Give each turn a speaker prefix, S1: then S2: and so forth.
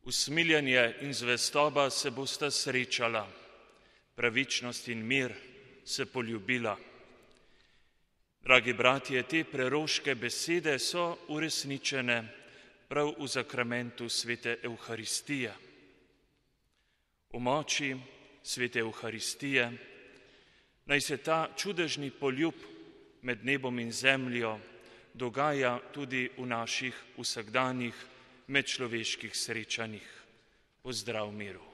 S1: Usmiljenje in zvestoba se bosta srečala, pravičnost in mir se poljubila. Dragi bratje, te preroške besede so uresničene prav v zakramentu svete Evharistije. V moči svete Evharistije naj se ta čudežni poljub med nebom in zemljo dogaja tudi v naših vsakdanjih medčloveških srečanjih. Pozdrav miru.